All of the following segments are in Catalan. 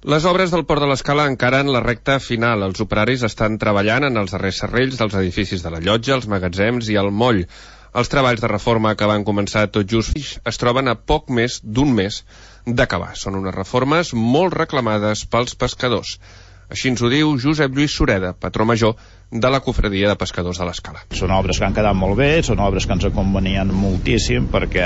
Les obres del Port de l'Escala encara en la recta final. Els operaris estan treballant en els darrers serrells dels edificis de la llotja, els magatzems i el moll. Els treballs de reforma que van començar tot just es troben a poc més d'un mes d'acabar. Són unes reformes molt reclamades pels pescadors. Així ens ho diu Josep Lluís Sureda, patró major de la Cofradia de Pescadors de l'Escala. Són obres que han quedat molt bé, són obres que ens convenien moltíssim perquè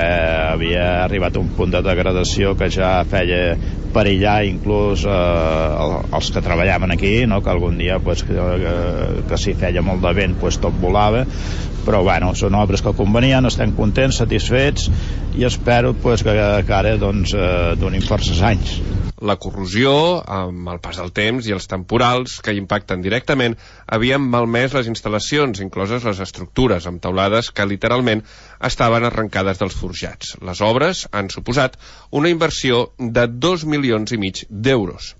havia arribat a un punt de degradació que ja feia perillar inclús els que treballaven aquí, no? Que algun dia que si feia molt de vent tot volava, però bueno, són obres que convenien, estem contents, satisfets i espero que ara donin forces anys. La corrosió, amb el pas del temps i els temporals que impacten directament, havien malmès les instal·lacions, incloses les estructures, amb teulades que literalment estaven arrencades dels forjats. Les obres han suposat una inversió de 2,5 milions d'euros.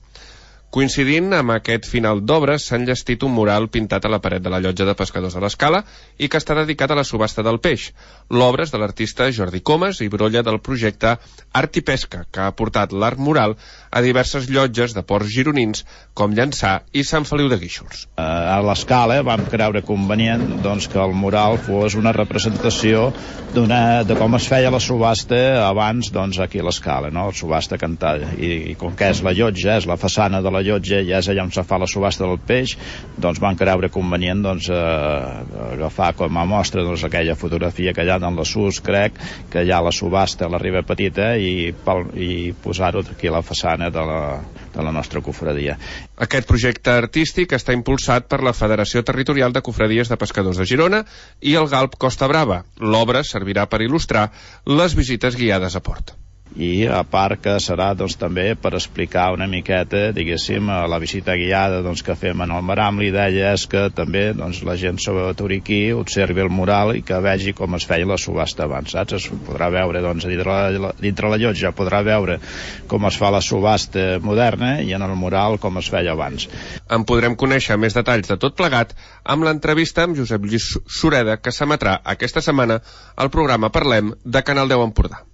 Coincidint amb aquest final d'obres, s'ha enllestit un mural pintat a la paret de la llotja de Pescadors de l'Escala i que està dedicat a la subhasta del peix. L'obra és de l'artista Jordi Comas i brolla del projecte Art i Pesca, que ha portat l'art mural a diverses llotges de ports gironins com Llançà i Sant Feliu de Guíxols. A l'Escala vam creure convenient que el mural fos una representació de com es feia la subhasta abans aquí a l'Escala, no? La subhasta cantada. I com que és la llotja, és la façana de la llotja, ja és allà on se fa la subhasta del peix, van creure convenient agafar com a mostra aquella fotografia que hi ha en la SUS, crec, que hi ha la subhasta a la riba petita i posar-ho aquí a la façana de la nostra cofradia. Aquest projecte artístic està impulsat per la Federació Territorial de Cofradies de Pescadors de Girona i el Galp Costa Brava. L'obra servirà per il·lustrar les visites guiades a port. I a part que serà també per explicar una miqueta, diguéssim, la visita guiada que fem en el Maram. L'idea és que també la gent sobretot aquí observi el mural i que vegi com es feia la subhasta abans, saps? Es podrà veure dintre la llotja, podrà veure com es fa la subhasta moderna i en el mural com es feia abans. En podrem conèixer més detalls de tot plegat amb l'entrevista amb Josep Lluís Sureda que s'emetrà aquesta setmana al programa Parlem de Canal 10 Empordà.